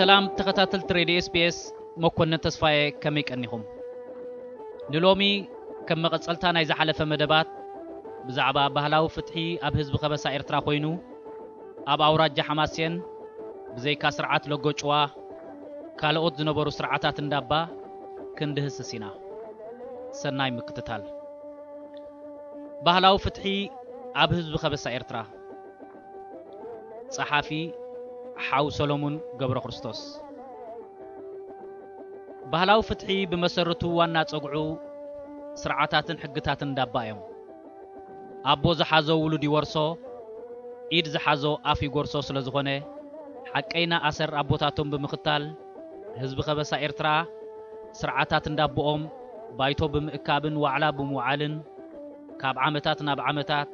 ሰላም ተኸታተልቲ ሬድዮ ኤስቢኤስ፣ መኮንን ተስፋዬ፣ ከመይ ቀኒኹም? ንሎሚ ከም መቐጸልታ ናይ ዝሓለፈ መደባት ብዛዕባ ባህላዊ ፍትሒ ኣብ ህዝቢ ከበሳ ኤርትራ ኮይኑ ኣብ ኣውራጃ ሓማሴን ብዘይካ ስርዓት ለጎጭዋ ካልኦት ዝነበሩ ስርዓታት እንዳባ ክንድህስስ ኢና። ሰናይ ምክትታል። ባህላዊ ፍትሒ ኣብ ህዝቢ ከበሳ ኤርትራ። ጸሓፊ ሓው ሰሎሙን ገብረ ክርስቶስ። ባህላዊ ፍትሒ ብመሰረቱ ዋና ጸግዑ ስርዓታትን ሕግታትን እንዳባ እዮም። ኣቦ ዝሓዞ ውሉድ ይወርሶ፣ ኢድ ዝሓዞ ኣፍ ይጎርሶ ስለ ዝኾነ፣ ሓቀይና ኣሰር ኣቦታቶም ብምኽታል፣ ህዝቢ ከበሳ ኤርትራ ስርዓታት እንዳቦኦም ባይቶ ብምእካብን ዋዕላ ብምውዓልን፣ ካብ ዓመታት ናብ ዓመታት፣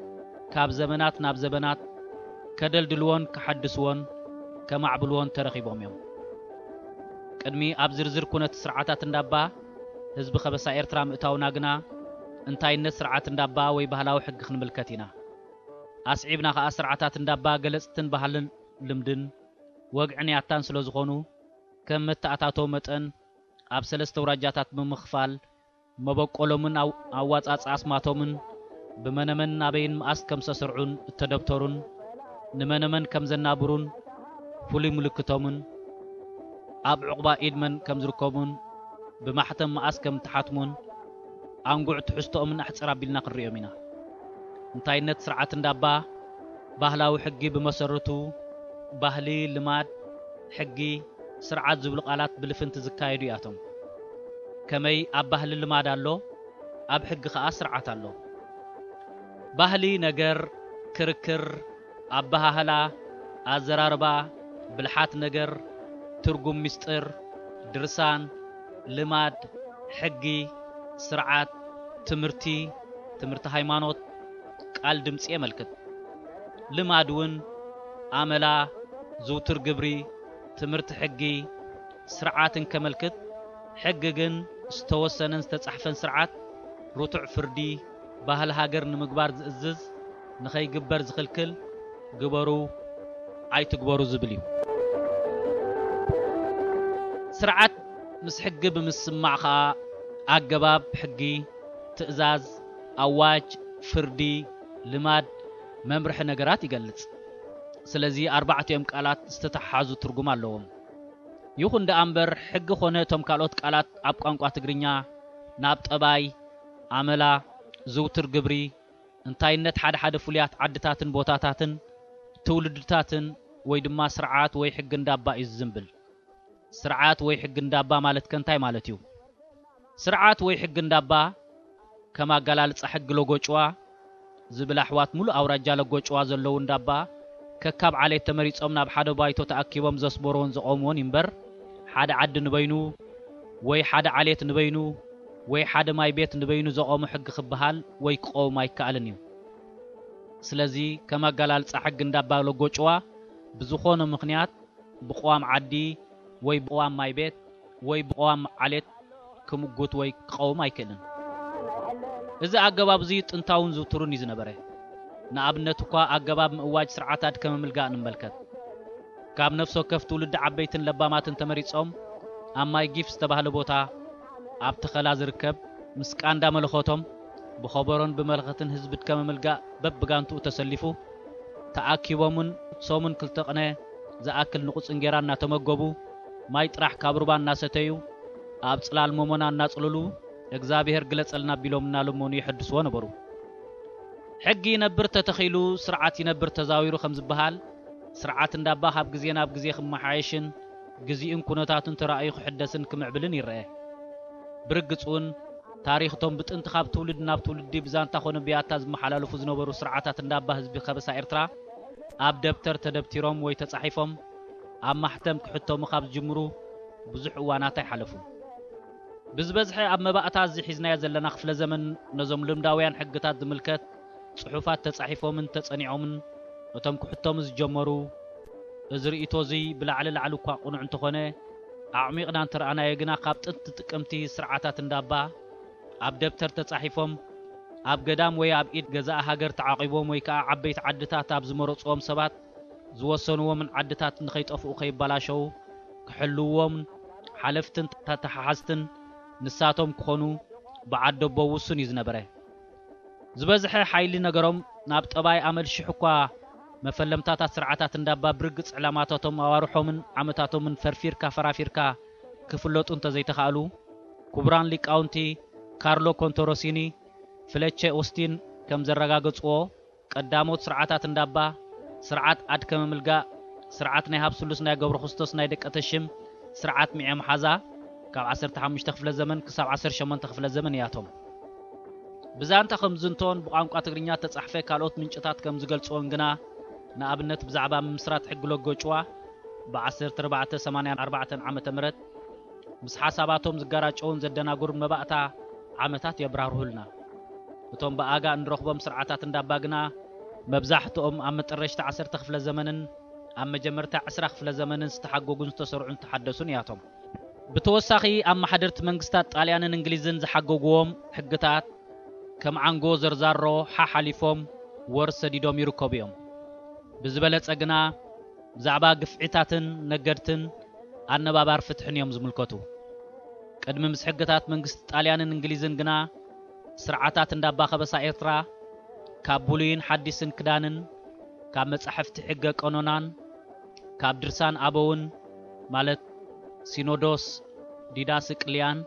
ካብ ዘበናት ናብ ዘበናት ከደልድልዎን ከሐድስዎን ከማዕብልዎን ተረኺቦም እዮም። ቅድሚ ኣብ ዝርዝር ኩነት ስርዓታት እንዳባ ህዝቢ ከበሳ ኤርትራ ምእታውና ግና፣ እንታይነት ስርዓት እንዳባ ወይ ባህላዊ ሕጊ ክንምልከት ኢና። ኣስዒብና ከኣ ስርዓታት እንዳባ ገለጽትን ባህልን ልምድን ወግዕን ያታን ስለ ዝኾኑ፣ ከም መተኣታቶ መጠን ኣብ ሰለስተ ኣውራጃታት ብምኽፋል፣ መበቆሎምን ኣው-፣ ኣዋጻጽኣ ኣስማቶምን ብመነመን ናበይን መኣስ ከም ዝተሰርዑን እተደብተሩን ንመነመን ከም ዘናብሩን ፍሉይ ምልክቶምን ኣብ ዕቑባ ኢድ መን ከም ዝርከቡን ብማሕተም መኣስ ከም እተሓትሙን ኣንጉዕ ትሕዝቶኦምን ኣሕጽር ኣቢልና ክንርእዮም ኢና። እንታይነት ስርዓት እንዳባ ባህላዊ ሕጊ ብመሰረቱ ባህሊ፣ ልማድ፣ ሕጊ፣ ስርዓት ዝብሉ ቃላት ብልፍንቲ ዝካየዱ እያቶም። ከመይ ኣብ ባህሊ ልማድ ኣሎ፣ ኣብ ሕጊ ኸኣ ስርዓት ኣሎ። ባህሊ ነገር፣ ክርክር፣ ኣበሃህላ፣ ኣዘራርባ፣ ብልሓት ነገር፣ ትርጉም ምስጢር፣ ድርሳን፣ ልማድ፣ ሕጊ፣ ስርዓት፣ ትምህርቲ፣ ትምህርቲ ሃይማኖት፣ ቃል ድምጺ የመልክት። ልማድ እውን ኣመላ፣ ዝውቱር ግብሪ፣ ትምህርቲ ሕጊ፣ ስርዓትን ከመልክት፣ ሕጊ ግን ዝተወሰነን ዝተጻሕፈን ስርዓት፣ ርቱዕ ፍርዲ፣ ባህሊ ሃገር ንምግባር ዝእዝዝ፣ ንኸይግበር ዝኽልክል፣ ግበሩ ኣይትግበሩ ዝብል እዩ። ስርዓት ምስ ሕጊ ብምስማዕ ኸኣ ኣገባብ ሕጊ፣ ትእዛዝ፣ ኣዋጅ፣ ፍርዲ፣ ልማድ፣ መምርሒ ነገራት ይገልጽ። ስለዚ ኣርባዕቲኦም ቃላት ዝተተሓሓዙ ትርጉም ኣለዎም። ይኹን ደኣ እምበር ሕጊ ኾነ እቶም ካልኦት ቃላት ኣብ ቋንቋ ትግርኛ ናብ ጠባይ፣ ኣመላ፣ ዝውቱር ግብሪ፣ እንታይነት ሓደ ሓደ ፍሉያት ዓድታትን ቦታታትን ትውልድታትን ወይ ድማ ስርዓት ወይ ሕጊ እንዳባ እዩ ዝዝንብል። ስርዓት ወይ ሕጊ እንዳባ ማለት ከ እንታይ ማለት እዩ? ስርዓት ወይ ሕጊ እንዳባ ከም ኣገላልጻ ሕጊ ሎጎጭዋ ዝብል ኣሕዋት ሙሉእ ኣውራጃ ሎጎጭዋ ዘለዉ እንዳባ ከካብ ዓሌት ተመሪጾም ናብ ሓደ ባይቶ ተኣኪቦም ዘስመርዎን ዘቖምዎን እዩ እምበር፣ ሓደ ዓዲ ንበይኑ ወይ ሓደ ዓሌት ንበይኑ ወይ ሓደ ማይ ቤት ንበይኑ ዘቖሞ ሕጊ ክበሃል ወይ ክቐውም ኣይከኣልን እዩ። ስለዚ ከም ኣገላልጻ ሕጊ እንዳባ ሎጎጭዋ ብዝኾነ ምኽንያት ብቕዋም ዓዲ ወይ ብቕዋም ማይ ቤት ወይ ብቕዋም ዓሌት ክምጉት ወይ ክቐውም ኣይክእልን። እዚ ኣገባብ እዚ ጥንታውን ዝውቱርን እዩ ዝነበረ። ንኣብነት እኳ ኣገባብ ምእዋጅ ስርዓት ኣድከመ ምልጋእ ንመልከት። ካብ ነፍሲ ወከፍ ትውልዲ ዓበይትን ለባማትን ተመሪጾም ኣብ ማይ ጊፍ ዝተባህለ ቦታ ኣብ ተኸላ ዝርከብ ምስ ቃንዳ መለኸቶም ብኸበሮን ብመለኸትን ህዝቢ ኣድከመ ምልጋእ በብጋንትኡ ተሰሊፉ ተኣኪቦምን ሶምን ክልተ ቅነ ዝኣክል ንቑጽ እንጌራ እናተመገቡ፣ ማይ ጥራሕ ካብ ሩባ እናሰተዩ፣ ኣብ ጽላል ሞሞና እናጽለሉ፣ "እግዚኣብሔር ግለጸልና" ቢሎም እናለመኑ የሐድስዎ ነበሩ። ሕጊ ይነብር ተተኺሉ ስርዓት ይነብር ተዛዊሩ ከም ዝበሃል፣ ስርዓት እንዳባ ካብ ግዜ ናብ ግዜ ክመሓየሽን ግዜኡን ኩነታቱን ተራእዩ ክሕደስን ክምዕብልን ይረአ። ብርግጽ እውን ታሪኽ እቶም ብጥንቲ ካብ ትውልዲ ናብ ትውልዲ ብዛንታ ኮነ ብያታ ዝመሓላለፉ ዝነበሩ ስርዓታት እንዳባ ህዝቢ ከበሳ ኤርትራ ኣብ ደብተር ተደብቲሮም ወይ ተጻሒፎም ኣብ ማሕተም ክሕተሙ ካብ ዝጅምሩ ብዙሕ እዋናት ኣይሓለፉን። ብዝበዝሐ ኣብ መባእታ እዚ ሒዝናዮ ዘለና ክፍለ ዘመን ነዞም ልምዳውያን ሕግታት ዝምልከት ጽሑፋት ተጻሒፎምን ተጸኒዖምን እቶም ክሕተሙ ዝጀመሩ፣ እዚ ርእይቶ እዚ ብላዕሊ ላዕሊ እኳ ቅኑዕ እንተኾነ፣ ኣዕሚቕና እንተረኣናዮ ግና ካብ ጥንቲ ጥቅምቲ ስርዓታት እንዳባ ኣብ ደብተር ተጻሒፎም ኣብ ገዳም ወይ ኣብ ኢድ ገዛኢ ሃገር ተዓቒቦም ወይ ከኣ ዓበይቲ ዓድታት ኣብ ዝመረጽዎም ሰባት ዝወሰንዎምን ዓድታት ንኸይጠፍኡ ከይበላሸዉ ክሕልውዎምን ሓለፍትን ተተሓሓዝትን ንሳቶም ክኾኑ ብዓደቦ ውሱን እዩ ዝነበረ። ዝበዝሐ ሓይሊ ነገሮም ናብ ጠባይ ኣመል ሽሕ እኳ መፈለምታታት ስርዓታት እንዳባ ብርግጽ ዕላማታቶም ኣዋርሖምን ዓመታቶምን ፈርፊርካ ፈራፊርካ ክፍለጡ እንተዘይተኻእሉ፣ ክቡራን ሊቃውንቲ ካርሎ ኮንቶሮሲኒ ፍለቼ ኦስቲን ከም ዘረጋገጽዎ፣ ቀዳሞት ስርዓታት እንዳባ፣ ስርዓት ኣድከመ ምልጋእ፣ ስርዓት ናይ ሃብ ስሉስ ናይ ገብረ ክርስቶስ ናይ ደቀ ተሽም፣ ስርዓት ሚዐ መሓዛ፣ ካብ ዓሰርተ ሓሙሽተ ክፍለ ዘመን ክሳብ ዓሰርተ ሸሞንተ ክፍለ ዘመን እያቶም። ብዛንታ ከም ዝንቶን ብቋንቋ ትግርኛ ተጻሕፈ ካልኦት ምንጭታት ከም ዝገልጽዎን ግና፣ ንኣብነት ብዛዕባ ምምስራት ሕጊ ሎጎ ጭዋ ብ ዓሰርተ ኣርባዕተ ሰማንያን ኣርባዕተን ዓመተ ምህረት ምስ ሓሳባቶም ዝጋራጨውን ዘደናግሩን መባእታ ዓመታት የብራርሁልና። እቶም ብኣጋ እንረኽቦም ስርዓታት እንዳባ ግና መብዛሕትኦም ኣብ መጠረሽታ ዓሰርተ ክፍለ ዘመንን ኣብ መጀመርታ ዕስራ ክፍለ ዘመንን ዝተሓጎጉን ዝተሰርዑን ዝተሓደሱን እያቶም። ብተወሳኺ ኣብ ማሕደርቲ መንግስታት ጣልያንን እንግሊዝን ዝሓገጉዎም ሕግታት ከም ዓንጎ ዘርዛሮ ሓሓሊፎም ወር ሰዲዶም ይርከቡ እዮም። ብዝበለጸ ግና ብዛዕባ ግፍዒታትን ነገድትን ኣነባባር ፍትሕን እዮም ዝምልከቱ። ቅድሚ ምስ ሕግታት መንግስቲ ጣልያንን እንግሊዝን ግና ስርዓታት እንዳባ ከበሳ ኤርትራ ካብ ብሉይን ሓዲስን ክዳንን ካብ መጻሕፍቲ ሕገ ቀኖናን ካብ ድርሳን ኣበውን ማለት ሲኖዶስ ዲዳስቅልያን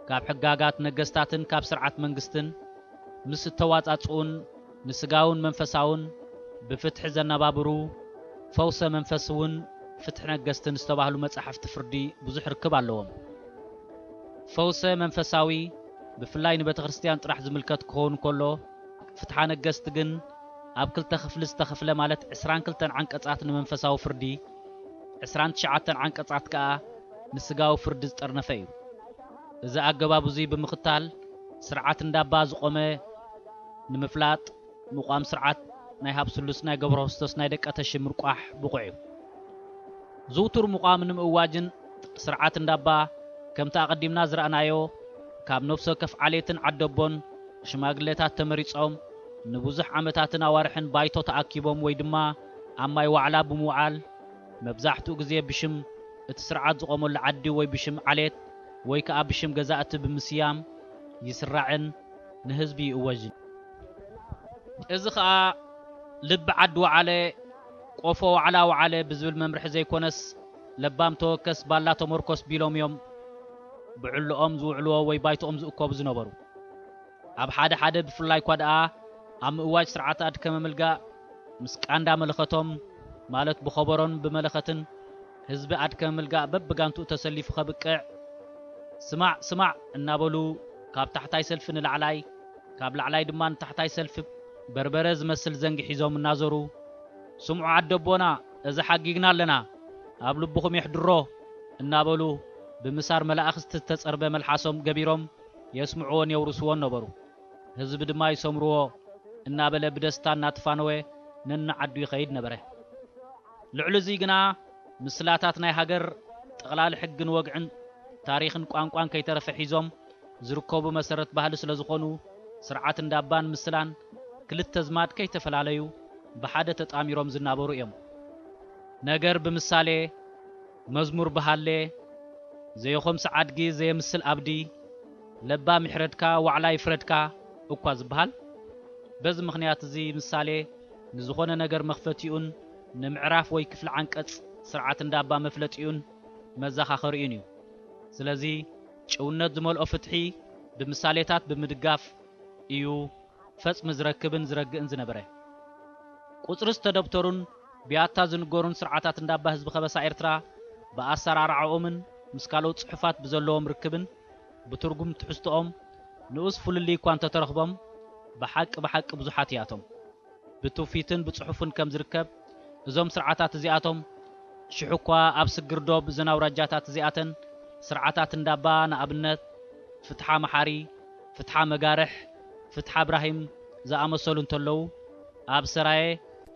ካብ ሕጋጋት ነገስታትን ካብ ስርዓት መንግስትን ምስ እተዋጻጽኡን ንስጋውን መንፈሳውን ብፍትሒ ዘነባብሩ ፈውሰ መንፈስ እውን ፍትሒ ነገስትን ዝተባህሉ መጻሕፍቲ ፍርዲ ብዙሕ ርክብ ኣለዎም። ፈውሰ መንፈሳዊ ብፍላይ ንቤተ ክርስቲያን ጥራሕ ዝምልከት ክኸውን ከሎ፣ ፍትሓ ነገስት ግን ኣብ ክልተ ክፍሊ ዝተኸፍለ ማለት ዕስራን ክልተን ዓንቀጻት ንመንፈሳዊ ፍርዲ፣ ዕስራን ትሽዓተን ዓንቀጻት ከኣ ንስጋዊ ፍርዲ ዝጠርነፈ እዩ። እዚ ኣገባብ እዙይ ብምኽታል ስርዓት እንዳባ ዝቖመ ንምፍላጥ ምቋም ስርዓት ናይ ሃብ ስሉስ ናይ ገብረ ክርስቶስ ናይ ደቀ ተሽም ምርቋሕ ብቑዕ እዩ። ዝውቱር ምቋም ንምእዋጅን ስርዓት እንዳባ ከምቲ ኣቐዲምና ዝረኣናዮ ካብ ነፍሲ ወከፍ ዓሌትን ዓደቦን ሽማግሌታት ተመሪጾም ንብዙሕ ዓመታትን ኣዋርሕን ባይቶ ተኣኪቦም ወይ ድማ ኣብ ማይ ዋዕላ ብምውዓል መብዛሕትኡ ግዜ ብሽም እቲ ስርዓት ዝቖመሉ ዓዲ ወይ ብሽም ዓሌት ወይ ከኣ ብሽም ገዛእቲ ብምስያም ይስራዕን ንህዝቢ ይእወጅን። እዚ ኸኣ ልቢ ዓዲ ወዓለ፣ ቆፎ ዋዕላ ወዓለ ብዝብል መምርሒ ዘይኮነስ ለባም ተወከስ ባላ ተመርኮስ ቢሎም እዮም ብዕልኦም ዝውዕልዎ ወይ ባይቶኦም ዝእከቡ ዝነበሩ። ኣብ ሓደ ሓደ ብፍላይ እኳ ደኣ ኣብ ምእዋጅ ስርዓት ኣድከመ ምልጋእ ምስ ቃንዳ መለኸቶም ማለት ብኸበሮን ብመለኸትን ህዝቢ ኣድከመ ምልጋእ በብጋንትኡ ተሰሊፉ ከብቅዕ ስማዕ ስማዕ እናበሉ ካብ ታሕታይ ሰልፊ ንላዕላይ ካብ ላዕላይ ድማ ንታሕታይ ሰልፊ በርበረ ዝመስል ዘንጊ ሒዞም እናዞሩ ስምዑ ዓደቦና እዚ ሓጊግና ኣለና ኣብ ልብኹም የሕድሮ እናበሉ ብምሳር መላእኽቲ ዝተጸርበ መልሓሶም ገቢሮም የስምዕዎን የውርስዎን ነበሩ። ህዝቢ ድማ ይሰምርዎ እናበለ ብደስታ እናተፋነወ ነንዓዱ ይኸይድ ነበረ። ልዕሊ እዙይ ግና ምስላታት ናይ ሃገር ጠቕላሊ ሕግን ወግዕን ታሪኽን ቋንቋን ከይተረፈ ሒዞም ዝርከቡ መሰረት ባህሊ ስለ ዝኾኑ ስርዓት እንዳባን ምስላን ክልተ ዝማድ ከይተፈላለዩ ብሓደ ተጣሚሮም ዝናበሩ እዮም። ነገር ብምሳሌ መዝሙር ብሃሌ ዘየኾምሲ ዓድጊ ዘየምስል ኣብዲ ለባም ይሕረድካ ዋዕላ ይፍረድካ እኳ ዝበሃል። በዚ ምኽንያት እዚ ምሳሌ ንዝኾነ ነገር መኽፈቲኡን ንምዕራፍ ወይ ክፍሊ ዓንቀጽ ስርዓት እንዳባ መፍለጢኡን መዘኻኸሪኡን እዩ። ስለዚ ጭውነት ዝመልኦ ፍትሒ ብምሳሌታት ብምድጋፍ እዩ ፈጽሚ ዝረክብን ዝረግእን ዝነበረ። ቁጽሪ ዝተደብተሩን ብያታ ዝንገሩን ስርዓታት እንዳባ ህዝቢ ከበሳ ኤርትራ ብኣሰራርዓኦምን ምስ ካልኦት ጽሑፋት ብዘለዎም ርክብን ብትርጉም ትሕዝቶኦም ንኡስ ፍልልይ እኳ እንተተረኽቦም ብሓቂ ብሓቂ ብዙሓት እያቶም። ብትውፊትን ብጽሑፍን ከም ዝርከብ እዞም ስርዓታት እዚኣቶም ሽሕ እኳ ኣብ ስግር ዶብ እዘን ኣውራጃታት እዚኣተን ስርዓታት እንዳባ ንኣብነት ፍትሓ መሓሪ፣ ፍትሓ መጋርሕ፣ ፍትሓ እብራሂም ዝኣመሰሉ እንተለዉ ኣብ ሰራየ፣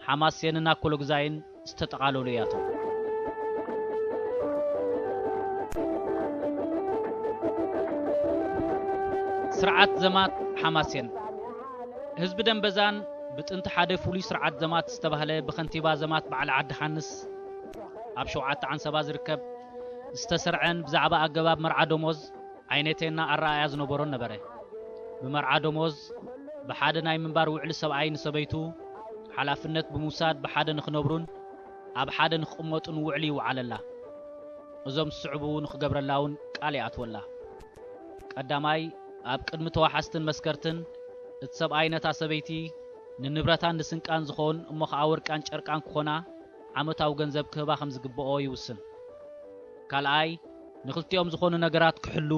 ሓማሴንን ኣኮሎግዛይን ዝተጠቓለሉ እያቶም። ስርዓት ዘማት ሓማሴን ህዝቢ ደንበዛን ብጥንቲ ሓደ ፍሉይ ስርዓት ዘማት ዝተባህለ ብኸንቲባ ዘማት በዓል ዓዲ ሓንስ ኣብ ሸውዓተ ዓንሰባ ዝርከብ ዝተሰርዐን ብዛዕባ ኣገባብ መርዓ ደሞዝ ዓይነቴና ኣረኣእያ ዝነበሮን ነበረ። ብመርዓ ደሞዝ ብሓደ ናይ ምንባር ውዕሊ ሰብኣይ ንሰበይቱ ሓላፍነት ብምውሳድ ብሓደ ንኽነብሩን ኣብ ሓደ ንኽቕመጡን ውዕሊ ይውዓለላ። እዞም ዝስዕቡ ንኽገብረላ እውን ቃል ይኣትወላ። ቀዳማይ፣ ኣብ ቅድሚ ተዋሓስትን መስከርትን እቲ ሰብኣይ ነታ ሰበይቲ ንንብረታን ንስንቃን ዝኸውን እሞ ኸዓ ወርቃን ጨርቃን ክኾና ዓመታዊ ገንዘብ ክህባ ከም ዝግብኦ ይውስን። ካልኣይ፣ ንኽልቲኦም ዝኾኑ ነገራት ክሕሉ፣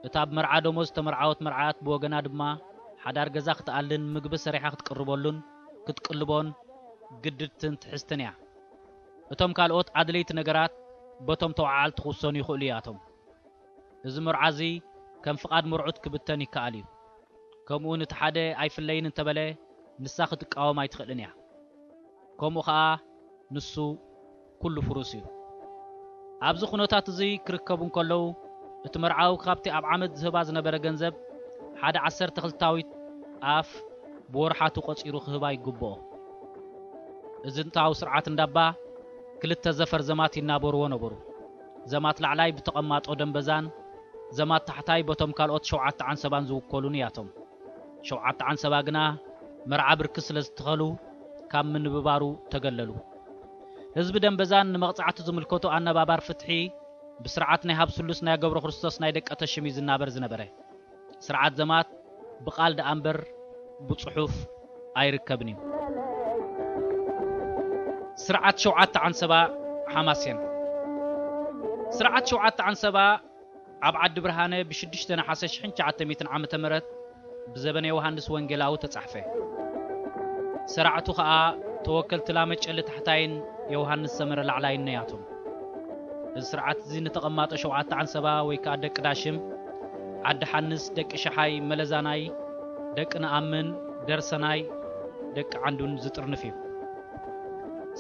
እታ ብመርዓ ደሞዝ ዝተመርዓወት መርዓት ብወገና ድማ ሓዳር ገዛ ክትኣልን ምግቢ ሰሪሓ ክትቅርበሉን ክትቅልቦን ግድድትን ትሕዝትን እያ። እቶም ካልኦት ኣድለይቲ ነገራት በቶም ተወዓዓልቲ ክውሰኑ ይኽእሉ እያቶም። እዚ መርዓ እዚ ከም ፍቓድ መርዑት ክብተን ይከኣል እዩ። ከምኡ ነቲ ሓደ ኣይፍለይን እንተበለ ንሳ ክትቃወም ኣይትኽእልን እያ። ከምኡ ኸኣ ንሱ ኩሉ ፍሩስ እዩ። ኣብዚ ኩነታት እዚ ክርከቡ እንከለዉ እቲ መርዓዊ ካብቲ ኣብ ዓመት ዝህባ ዝነበረ ገንዘብ ሓደ ዓሰርተ ክልታዊት ኣፍ ብወርሓቱ ቆጺሩ ክህባ ይግብኦ። እዚ ጥንታዊ ስርዓት እንዳባ ክልተ ዘፈር ዘማት ይናበርዎ ነበሩ። ዘማት ላዕላይ ብተቐማጦ ደንበዛን ዘማት ታሕታይ በቶም ካልኦት ሸውዓተ ዓንሰባን ዝውከሉን እያቶም። ሸውዓተ ዓንሰባ ግና መርዓ ብርኪ ስለ ዝተኸሉ ካብ ምንብባሩ ተገለሉ። ህዝቢ ደንበዛን ንመቕጻዕቱ ዝምልከቶ ኣነባባር ፍትሒ ብስርዓት ናይ ሃብ ስሉስ ናይ ገብረ ክርስቶስ ናይ ደቀ ተሽም እዩ ዝናበር ዝነበረ። ስርዓት ዘማት ብቓል ደኣ እምበር ብጽሑፍ ኣይርከብን እዩ። ስርዓት ሸውዓተ ዓንሰባ ሓማሴን። ስርዓት ሸውዓተ ዓንሰባ ኣብ ዓዲ ብርሃነ ብሽዱሽተ ነሓሰ ሽሕን ትሽዓተ ሚእትን ዓመተ ምህረት ብዘበነ ዮሃንስ ወንጌላዊ ተጻሕፈ። ሰራዕቱ ኸኣ ተወከልቲ ላመ ጨሊ ታሕታይን ዮሃንስ ሰመረ ላዕላይን ነያቶም። እዚ ስርዓት እዚ ንተቐማጦ ሸውዓተ ዓንሰባ ወይ ከኣ ደቂ ዳሽም፣ ዓዲ ሓንስ፣ ደቂ ሸሓይ፣ መለዛናይ፣ ደቂ ነኣምን፣ ደርሰናይ፣ ደቂ ዓንዱን ዝጥርንፍ እዩ።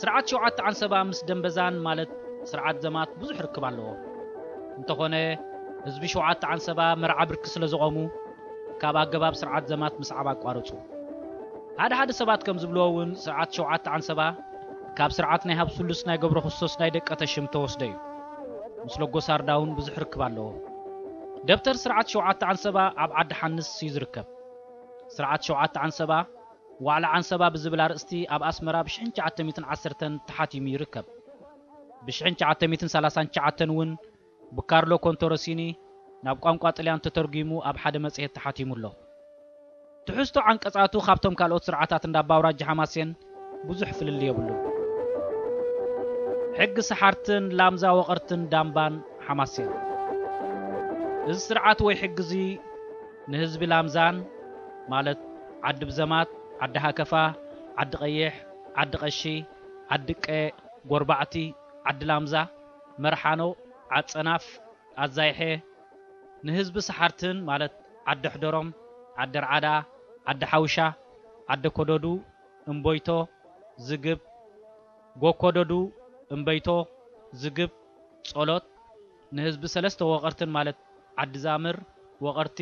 ስርዓት ሸውዓተ ዓንሰባ ምስ ደንበዛን ማለት ስርዓት ዘማት ብዙሕ ርክብ ኣለዎ። እንተኾነ ህዝቢ ሸውዓተ ዓንሰባ መርዓ ብርኪ ስለ ዝቖሙ ካብ ኣገባብ ስርዓት ዘማት ምስዓብ ኣቋረጹ። ሓደ ሓደ ሰባት ከም ዝብልዎ እውን ስርዓት ሸውዓተ ዓንሰባ ካብ ስርዓት ናይ ሃብ ስሉስ ናይ ገብረ ክርስቶስ ናይ ደቀ ተሽም ተወስደ እዩ። ምስ ሎጎ ሳርዳ እውን ብዙሕ ርክብ ኣለዎ። ደብተር ስርዓት ሸውዓተ ዓንሰባ ኣብ ዓዲ ሓንስ እዩ ዝርከብ። ስርዓት ሸውዓተ ዓንሰባ ዋዕላ ዓንሰባ ብዝብል ኣርእስቲ ኣብ ኣስመራ ብሽሕን ትሽዓተ ሚእትን ዓሰርተን ተሓቲሙ ይርከብ። ብሽሕን ትሽዓተ ሚእትን ሰላሳን ትሽዓተን እውን ብካርሎ ኮንቶሮሲኒ ናብ ቋንቋ ጥልያን ተተርጒሙ ኣብ ሓደ መጽሔት ተሓቲሙ ኣሎ። ትሕዝቶ ዓንቀጻቱ ካብቶም ካልኦት ስርዓታት እንዳ ኣባ ኣውራጃ ሓማሴን ብዙሕ ፍልልይ የብሉን። ሕጊ ሰሓርትን ላምዛ ወቐርትን ዳምባን ሓማሴን። እዚ ስርዓት ወይ ሕጊ እዚ ንህዝቢ ላምዛን፣ ማለት ዓዲ ብዘማት፣ ዓዲ ሃከፋ፣ ዓዲ ቀይሕ፣ ዓዲ ቀሺ፣ ዓዲ ቀ፣ ጎርባዕቲ፣ ዓዲ ላምዛ፣ መርሓኖ፣ ዓጸናፍ፣ ኣዛይሐ፣ ንህዝቢ ሰሓርትን ማለት ዓዲ ሕደሮም፣ ዓዲ ርዓዳ፣ ዓዲ ሓውሻ፣ ዓዲ ኮደዱ፣ እምቦይቶ፣ ዝግብ፣ ጎኮደዱ፣ እምበይቶ፣ ዝግብ፣ ጸሎት፣ ንህዝቢ ሰለስተ ወቐርትን ማለት ዓዲ ዛምር፣ ወቐርቲ፣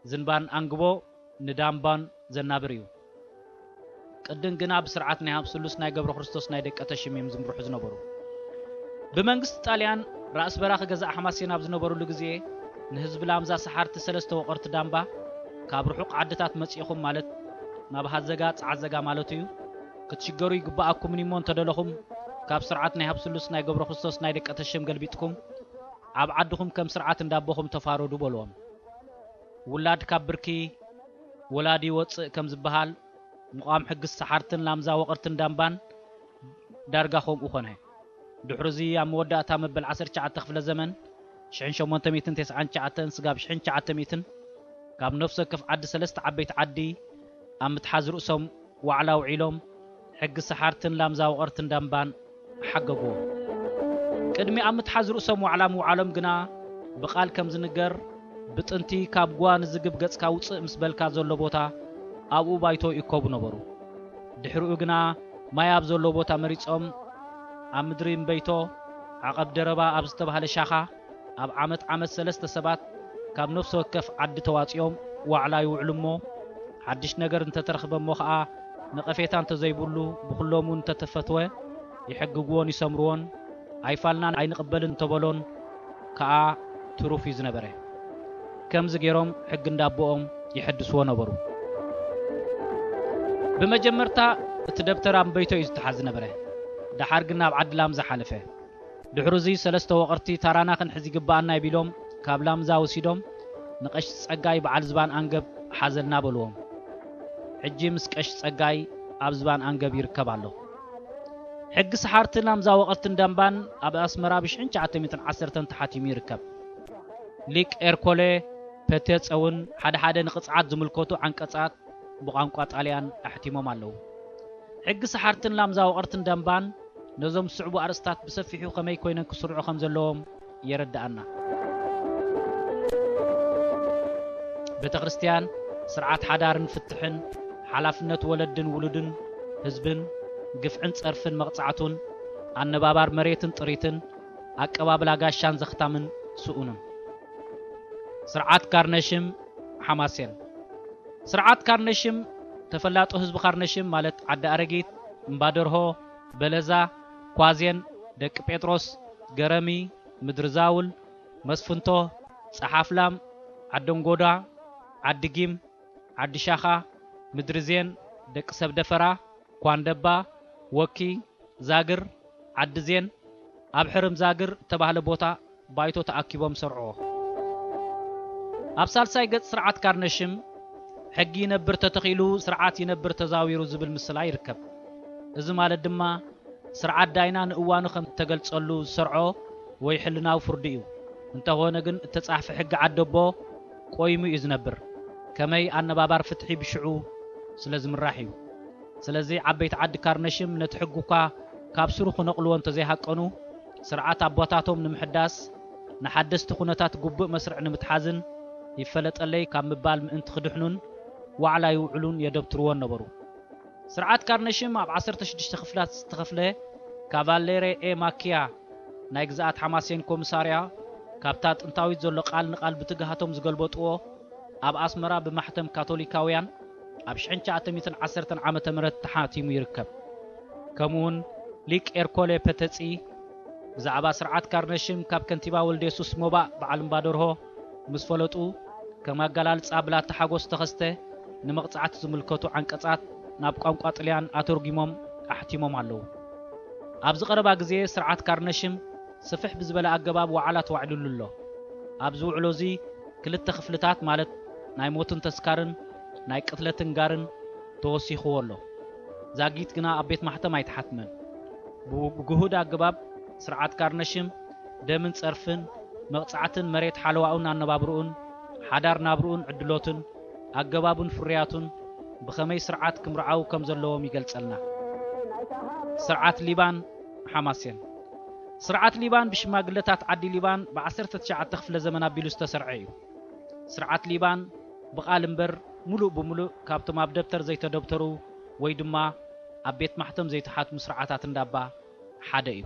ዝንባን ኣንግቦ ንዳምባን ዘናብር እዩ። ቅድም ግና ብስርዓት ናይ ሃብ ስሉስ ናይ ገብረ ክርስቶስ ናይ ደቀ ተሽም እዮም ዝምርሑ ዝነበሩ። ብመንግስቲ ጣልያን ራእሲ በራኺ ገዛእ ሓማሴን ኣብ ዝነበሩሉ ግዜ ንህዝቢ ላምዛ ሰሓርቲ ሰለስተ ወቐርቲ ዳምባ ካብ ርሑቕ ዓድታት መጺእኹም ማለት ናብ ሃዘጋ ጸዓዘጋ ማለቱ እዩ። ክትሽገሩ ይግብኣኩምን እሞ እንተደለኹም ካብ ስርዓት ናይ ሃብ ስሉስ ናይ ገብረ ክርስቶስ ናይ ደቀ ተሽም ገልቢጥኩም ኣብ ዓድኹም ከም ስርዓት እንዳቦኹም ተፋረዱ በልዎም። ውላድ ካብ ብርኪ ወላዲ ይወጽእ ከም ዝበሃል ምቋም ሕጊ ሰሓርትን ላምዛ ወቐርትን ዳምባን ዳርጋ ከምኡ ኾነ። ድሕሪ እዚ ኣብ መወዳእታ መበል ዓሰርተ ትሽዓተ ክፍለ ዘመን ሽሕን ሸሞንተ ሚእትን ተስዓን ትሽዓተን ስጋብ ሽሕን ትሽዓተ ሚእትን ካብ ነፍሲ ወከፍ ዓዲ ሰለስተ ዓበይቲ ዓዲ ኣብ ምትሓዝ ርእሶም ዋዕላ ውዒሎም ሕጊ ሰሓርትን ላምዛ ወቐርትን ዳምባን ሓገግዎ። ቅድሚ ኣብ ምትሓዝ ርእሶም ዋዕላ ምውዓሎም ግና ብቓል ከም ዝንገር ብጥንቲ ካብ ጓ ንዝግብ ገጽካ ውጽእ ምስ በልካ ዘሎ ቦታ ኣብኡ ባይቶ ይእከቡ ነበሩ። ድሕሪኡ ግና ማይ ኣብ ዘሎ ቦታ መሪጾም ኣብ ምድሪ እምበይቶ ዓቐብ ደረባ ኣብ ዝተባህለ ሻኻ ኣብ ዓመት ዓመት ሰለስተ ሰባት ካብ ነፍሲ ወከፍ ዓዲ ተዋጺኦም ዋዕላ ይውዕሉ እሞ ሓድሽ ነገር እንተተረኽበ እሞ ኸኣ ነቐፌታ እንተዘይብሉ ብኹሎም እውን እንተተፈትወ ይሕግግዎን ይሰምርዎን ኣይፋልናን ኣይንቕበልን እንተበሎን ከኣ ትሩፍ እዩ ዝነበረ። ከምዚ ገይሮም ሕጊ እንዳቦኦም ይሕድስዎ ነበሩ። ብመጀመርታ እቲ ደብተር ኣንበይቶ እዩ ዝተሓዝ ነበረ። ደሓር ግን ናብ ዓዲ ላምዛ ሓለፈ። ድሕሩ እዚ ሰለስተ ወቐርቲ ታራና ክንሕዝ ይግባኣና እዩ ቢሎም ካብ ላምዛ ወሲዶም ንቀሽ ጸጋይ በዓል ዝባን ኣንገብ ሓዘልና በልዎም። ሕጂ ምስ ቀሽ ጸጋይ ኣብ ዝባን ኣንገብ ይርከብ ኣሎ። ሕጊ ሰሓርትን ኣምዛ ወቐርትን ደምባን ኣብ ኣስመራ ብሽሕን ትሽዓተ ሚእትን ዓሰርተን ተሓቲሙ ይርከብ። ሊቅ ኤርኮሌ ፐቴጸ እውን ሓደ ሓደ ንቕጽዓት ዝምልከቱ ዓንቀጻት ብቋንቋ ጣልያን ኣሕቲሞም ኣለዉ። ሕጊ ሰሓርትን ላምዛ ወቐርትን ደምባን ነዞም ዝስዕቡ ኣርእስታት ብሰፊሑ ከመይ ኮይነን ክስርዑ ከም ዘለዎም የረድኣና። ቤተ ክርስቲያን ስርዓት ሓዳርን ፍትሕን፣ ሓላፍነት ወለድን ውሉድን ህዝብን፣ ግፍዕን ጸርፍን መቕጻዕቱን፣ ኣነባባር መሬትን ጥሪትን፣ ኣቀባብላ ጋሻን ዘኽታምን ስኡንን። ስርዓት ካርነሽም ሓማሴን። ስርዓት ካርነሽም፣ ተፈላጦ ህዝቢ ካርነሽም ማለት ዓዲ ኣረጊት፣ እምባደርሆ፣ በለዛ፣ ኳዜን፣ ደቂ ጴጥሮስ፣ ገረሚ፣ ምድሪ ዛውል፣ መስፍንቶ፣ ጸሓፍላም፣ ዓደንጎዳ፣ ዓዲ ጊም፣ ዓዲ ሻኻ፣ ምድሪ ዜን፣ ደቂ ሰብ ደፈራ፣ ኳንደባ፣ ወኪ፣ ዛግር፣ ዓዲ ዜን፣ ኣብ ሕርም ዛግር እተባህለ ቦታ ባይቶ ተኣኪቦም ሰርዕዎ። ኣብ ሳልሳይ ገጽ ስርዓት ካርነሽም፣ ሕጊ ይነብር ተተኺሉ፣ ስርዓት ይነብር ተዛዊሩ ዝብል ምስላ ይርከብ። እዚ ማለት ድማ፣ ስርዓት ዳይና ንእዋኑ ከም እተገልጸሉ ዝሰርዖ ወይ ሕልናዊ ፍርዱ እዩ። እንተኾነ ግን፣ እተጻሕፈ ሕጊ ዓደቦ ቆይሙ እዩ ዝነብር። ከመይ ኣነባባር ፍትሒ ብሽዑ ስለ ዝምራሕ እዩ። ስለዚ ዓበይቲ ዓዲ ካርነሽም ነቲ ሕጊ እኳ ካብ ስሩ ክነቕልዎ እንተዘይሃቀኑ፣ ስርዓት ኣቦታቶም ንምሕዳስ፣ ንሓደስቲ ኩነታት ግቡእ መስርዕ ንምትሓዝን ይፈለጠለይ ካብ ምባል ምእንቲ ክድሕኑን ዋዕላ ይውዕሉን የደብትርዎን ነበሩ። ስርዓት ካርነሽም ኣብ ዓሰርተ ሽዱሽተ ክፍላት ዝተኸፍለ ካቫሌሬ ኤ ማኪያ ናይ ግዝኣት ሓማሴን ኮሚሳርያ ካብታ ጥንታዊት ዘሎ ቃል ንቓል ብትግሃቶም ዝገልበጥዎ ኣብ ኣስመራ ብማሕተም ካቶሊካውያን ኣብ ሽሕን ትሽዓተ ሚእትን ዓሰርተን ዓመተ ምህረት ተሓቲሙ ይርከብ። ከምኡውን ሊቅ ኤርኮሌ ፐተጺ ብዛዕባ ስርዓት ካርነሽም ካብ ከንቲባ ወልደ የሱስ ሞባእ በዓል እምባደርሆ ምስ ፈለጡ፣ ከም ኣገላልጻ ብላታ ሓጎስ ተኸስተ ንመቕጻዕቲ ዝምልከቱ ዓንቀጻት ናብ ቋንቋ ጥልያን ኣተርጒሞም ኣሕቲሞም ኣለዉ። ኣብዚ ቀረባ ግዜ ስርዓት ካርነሽም ስፍሕ ብዝበለ ኣገባብ ዋዕላ ተዋዒሉሉ ኣሎ። ኣብዚ ውዕሎ እዚ ክልተ ክፍልታት ማለት ናይ ሞትን ተስካርን ናይ ቅትለትን ጋርን ተወሲኽዎ ኣሎ። ዛጊት ግና ኣብ ቤት ማሕተም ኣይተሓትመን። ብግሁድ ኣገባብ ስርዓት ካርነሽም ደምን ጸርፍን፣ መቕጻዕትን መሬት ሓለዋኡን ኣነባብርኡን፣ ሓዳር ናብርኡን ዕድሎትን፣ ኣገባቡን ፍርያቱን ብኸመይ ስርዓት ክምርዓው ከም ዘለዎም ይገልጸልና። ስርዓት ሊባን ሓማሴን። ስርዓት ሊባን ብሽማግለታት ዓዲ ሊባን ብ ዓሰርተ ትሽዓተ ክፍለ ዘመን ኣቢሉ ዝተሰርዐ እዩ። ስርዓት ሊባን ብቓል እምበር፣ ምሉእ ብምሉእ ካብቶም ኣብ ደብተር ዘይተደብተሩ ወይ ድማ ኣብ ቤት ማሕተም ዘይተሓትሙ ስርዓታት እንዳባ ሓደ እዩ።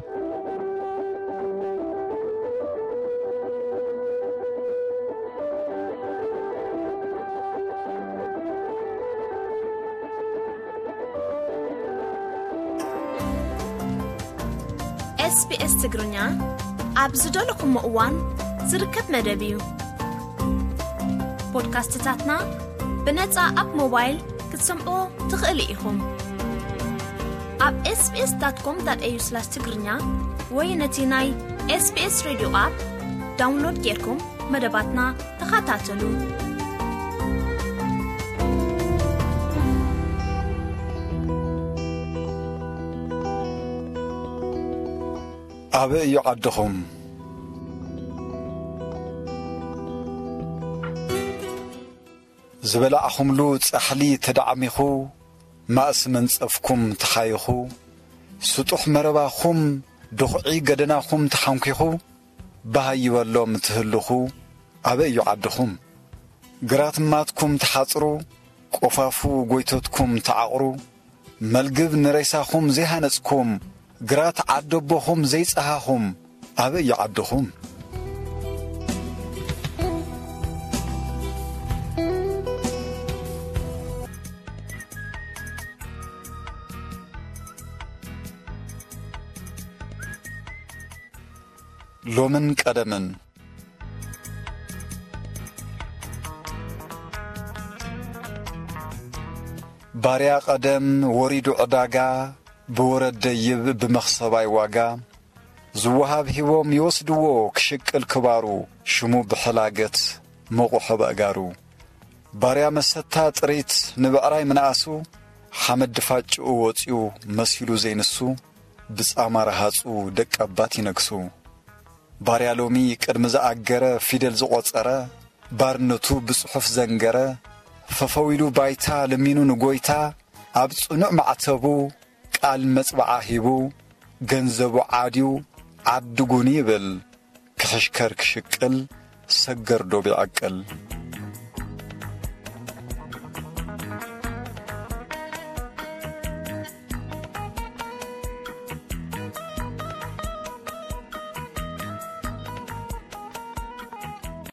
ኤስቢኤስ ትግርኛ ኣብ ዝደለኹሞ እዋን ዝርከብ መደብ እዩ። ፖድካስትታትና ብነጻ ኣብ ሞባይል ክትሰምዕዎ ትኽእሉ ኢኹም። ኣብ ኤስቢኤስ ዳት ኮም ዳት ኤዩ ስላሽ ትግርኛ ወይ ነቲ ናይ ኤስቢኤስ ሬድዮ ኣፕ ዳውንሎድ ጌርኩም መደባትና ተኸታተሉ። ኣበይ እዩ ዓድኹም? ዝበላዕኹምሉ ጻሕሊ ተዳዕሚኹ፣ ማእሲ መንጸፍኩም ተኻይኹ፣ ስጡሕ መረባኹም፣ ድኹዒ ገደናኹም ተሓንኪኹ፣ ባህ ይበሎም ትህልኹ፣ ኣበይ እዩ ዓድኹም? ግራት ማትኩም ተሓጽሩ፣ ቆፋፉ ጎይቶትኩም ተዓቕሩ፣ መልግብ ንሬሳኹም ዘይሃነጽኩም፣ ግራት ዓደቦኹም ዘይጸሃኹም፣ ኣበይ እዩ ዓድኹም? ሎምን ቀደምን። ባርያ ቀደም ወሪዱ ዕዳጋ፣ ብወረድ ደይብ ብመኽሰባይ ዋጋ፣ ዝወሃብ ሂቦም ይወስድዎ ክሽቅል ክባሩ፣ ሽሙ ብሕላገት መቑሖ በእጋሩ። ባርያ መሰታ ጥሪት ንብዕራይ ምንኣሱ፣ ሓመድ ድፋጭኡ ወፂኡ መሲሉ ዘይንሱ፣ ብጻማ ረሃጹ ደቂ ኣባት ይነግሱ። ባርያ ሎሚ ቅድሚ ዝኣገረ ፊደል ዝቖጸረ፣ ባርነቱ ብጽሑፍ ዘንገረ፣ ፈፈው ኢሉ ባይታ ለሚኑ ንጎይታ፣ ኣብ ጽኑዕ ማዕተቡ ቃል መጽብዓ ሂቡ፣ ገንዘቡ ዓድዩ ዓዲ ጉኒ ይብል፣ ክሕሽከር ክሽቅል ሰገር ዶብ ይዕቅል።